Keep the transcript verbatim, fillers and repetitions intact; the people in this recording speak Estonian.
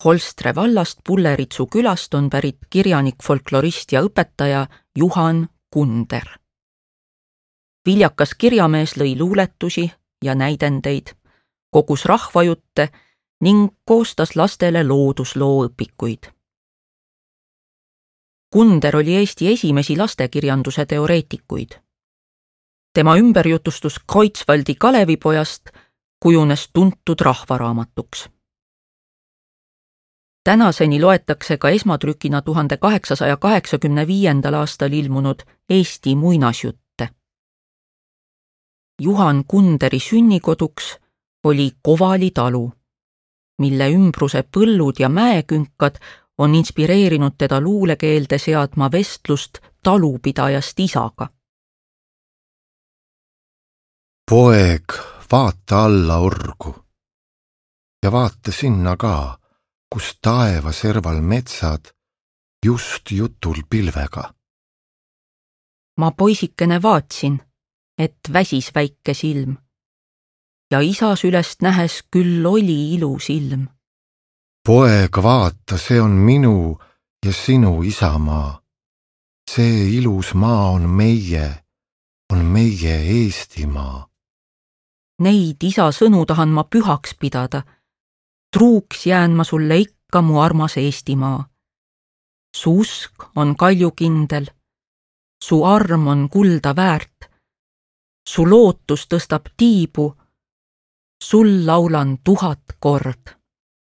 Holstre vallast Pulleritsu külast on pärit kirjanik, folklorist ja õpetaja Juhan Kunder. Viljakas kirjamees lõi luuletusi ja näidendeid, kogus rahvajutte ning koostas lastele looduslooõpikuid. Kunder oli Eesti esimesi lastekirjanduse teoreetikuid. Tema ümberjutustus Kreutzwaldi Kalevipojast kujunes tuntud rahvaraamatuks. Tänaseni loetakse ka esmatrükina tuhande kaheksasaja kaheksakümne viiendal aastal ilmunud Eesti muinasjutte. Juhan Kunderi sünnikoduks oli Kovali talu, mille ümbruse põllud ja mäekünkad on inspireerinud teda luulekeelde seadma vestlust talupidajast isaga. Poeg, vaata alla orgu ja vaata sinna ka, kus taeva serval metsad just jutul pilvega. Ma poisikene vaatsin, et väsis väike silm ja isa sülest nähes küll oli ilus ilm. Poeg, vaata, see on minu ja sinu isamaa. See ilus maa on meie, on meie Eestimaa. Neid isa sõnu tahan ma pühaks pidada. Truuks jään ma sulle ikka, mu armas Eestimaa. Su usk on kaljukindel, su arm on kulda väärt, su lootus tõstab tiibu, sul laulan tuhat kord.